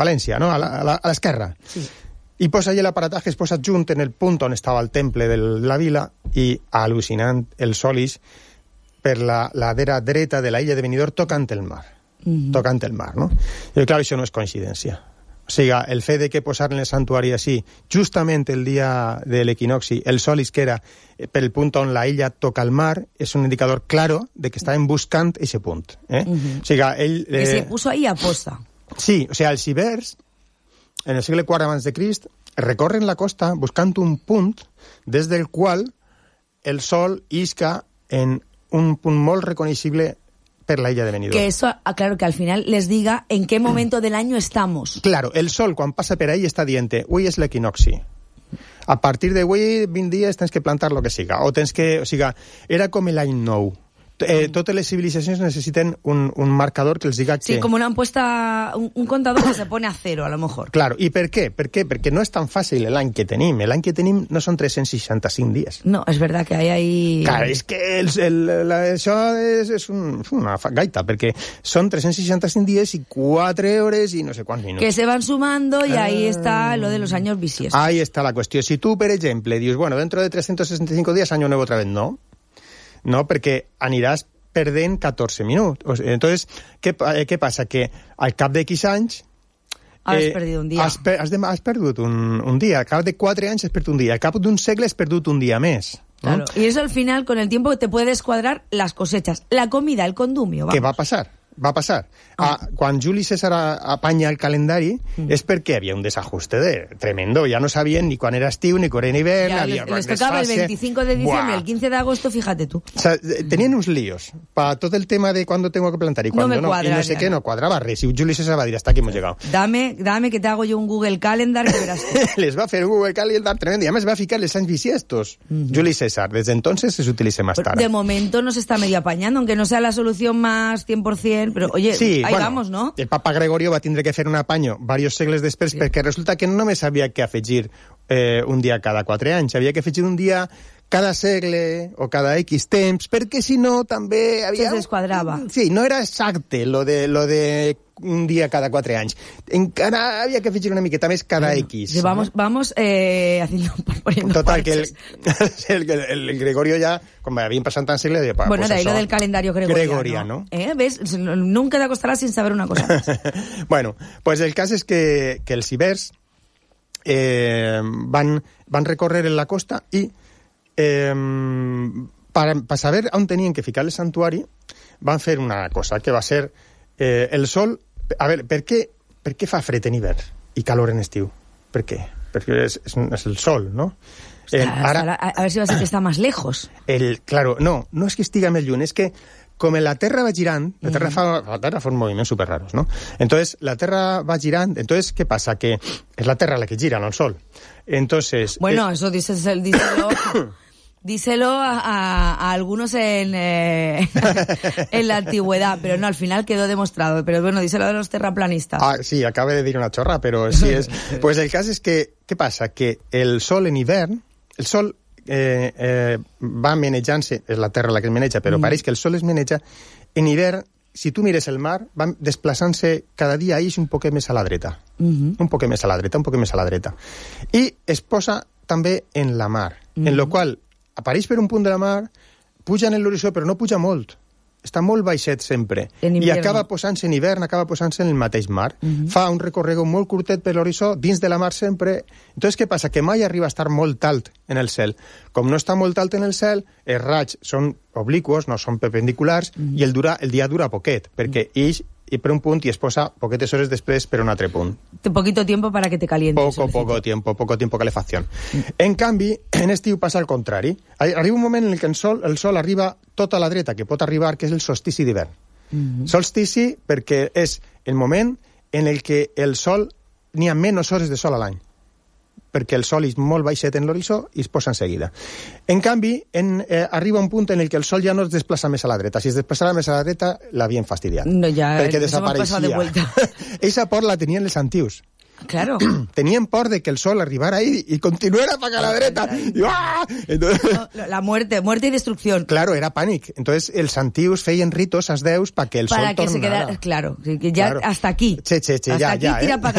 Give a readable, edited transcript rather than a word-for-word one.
València, no? A l'esquerra. Sí. I posa allà l'aparataje, es posa junt en el punt on estava el temple de la vila i, al·lucinant, el sol ix per la ladera dreta de la illa de Benidorm tocant el mar. Tocant el mar, no? I clar, això no és coincidència. O sigui, el fet de que posar en el santuari així, justament el dia de l'equinoxi, el sol isquera per el punt on la illa toca el mar, és un indicador claro de que estaven buscant aquest punt. O sigui, ell... Que se puso ahí a posta. Sí, o sigui, els ibers, en el segle IV abans de Crist, recorren la costa buscant un punt des del qual el sol isca en un punt molt reconocible per la illa de Benidorm. Que eso, claro, que al final les diga en qué momento del año estamos. Claro, el sol quan passa per ahí està dient, avui és l'equinoxi. A partir d'avui, 20 dies, tens que plantar lo que siga. O tens que... O sigui, era com l'any nou. Totes les civilizacions necessiten un marcador que els diga que... Sí, como una apuesta, un contador que se pone a cero, a lo mejor. Claro, ¿y por qué? ¿Por qué? Porque no es tan fàcil l'any que tenim. L'any que tenim no són 365 dies. No, és verdad que hay ahí... Claro, és que això és una gaita, perquè són 365 dies i 4 hores i no sé quants minuts. Que se van sumando y ahí está lo de los años bisiestos. Ahí está la cuestión. Si tú, per exemple, dius, bueno, dentro de 365 días, año nuevo otra vez, no. No, perquè aniràs perdent 14 minuts. Entonces, què passa? Que al cap de X anys... Has perdut un dia. Has perdut un dia. Al cap de 4 anys has perdut un dia. Al cap d'un segle has perdut un dia més. Claro, y eso al final, con el tiempo, te puede descuadrar las cosechas. La comida, el condumio, vamos. Què va passar? Va passar. Quan Juli César apanya el calendari és perquè havia un desajuste tremendo. Ja no sabien ni quan era estiu ni quan era hivern. Les tocava el 25 de diciembre, el 15 de agosto, fíjate tú. O sea, tenien uns líos para todo el tema de cuándo tengo que plantar y cuándo no. Y no sé qué, no cuadraba res. Y Juli César va dir, hasta aquí hemos llegado. Dame que te hago yo un Google Calendar que verás. Les va fer un Google Calendar tremendo. Y además va ficar les anys bisiestos. Juli César. Desde entonces se utiliza más tarde. De momento no se está medio apañando, aunque no sea la solución más 100%, pero oye, sí, ahí vamos, ¿no? El papa Gregorio va tindre que fer un apanyo diversos segles després, perquè resulta que no només havia que afegir un dia cada 4 anys, havia que afegir un dia cada segle o cada X temps, perquè si no també havia... Se desquadrava. Sí, no era exacte lo de un dia cada 4 anys. Encara havia que afegir una miqueta més cada X. Sí, vamos haciendo... Total, que el Gregorio ya, como habían pasado tan siglos... Bueno, pues de ahí lo del calendario gregoriano. ¿Ves? Nunca te acostarás sin saber una cosa más. Bueno, pues el cas és que els ibers van recórrer en la costa i per saber on tenien que ficar el santuari van fer una cosa, que va ser el sol... A veure, per què fa fred en hivern i calor en estiu? Per què? Perquè és el sol, no? Ara, a ver si va a ser que está más lejos. Claro, no es que estiga més lluny, és que com la Terra va girant, la Terra fa moviments super raros, ¿no? Entonces, la Terra va girant, entonces, ¿qué pasa? Que es la Terra la que gira, no el Sol. Entonces... Bueno, eso díselo a algunos en la antigüedad, pero no, al final quedó demostrado. Pero bueno, díselo a los terraplanistas. Sí, acabo de dir una chorra, pero sí es... Pues el cas és que, què passa? Que el Sol en hivern, el Sol va menejant-se, és la Terra la que es meneja, però pareix que el Sol es meneja, en hivern, si tu mires el mar, va desplaçant-se cada dia un poquet més a la dreta. Un poquet més a la dreta, un poquet més a la dreta. I es posa també en la mar, en lo qual apareix per un punt de la mar, puja en l'horitzó, però no puja molt. Està molt baixet sempre. I acaba posant-se en hivern, acaba posant-se en el mateix mar. Fa un recorregut molt curtet per l'horitzó, dins de la mar sempre. Entonces, què passa? Que mai arriba a estar molt alt en el cel. Com no està molt alt en el cel, els raigs són obliquos, no són perpendiculars, i el dia dura poquet, perquè ix i per un punt i es posa poquetes hores després per un altre punt. Poquito tiempo para que te calientes. Poco tiempo calefacción. En canvi, en estiu passa al contrari. Arriba un moment en què el sol arriba tota la dreta, que pot arribar, que és el solstici d'hivern. Solstici perquè és el moment en el que el sol n'hi ha menys hores de sol a l'any, perquè el sol és molt baixet en l'horitzó i es posa en seguida. En canvi, arriba un punt en el que el sol ja no es desplaça més a la dreta. Si es desplaçava més a la dreta, l'havien fastidiat. No, ja, perquè desapareixia. De Eixa por la tenien els antius. Claro. Tenían por de que el sol arribara ahí y continuara para la derecha. Entonces, la muerte y destrucción. Claro, era pánico. Entonces, els antius feien ritos als déus para que el sol tornara. Para que se quedara, claro, que ya claro. Hasta aquí. Hasta aquí, tira para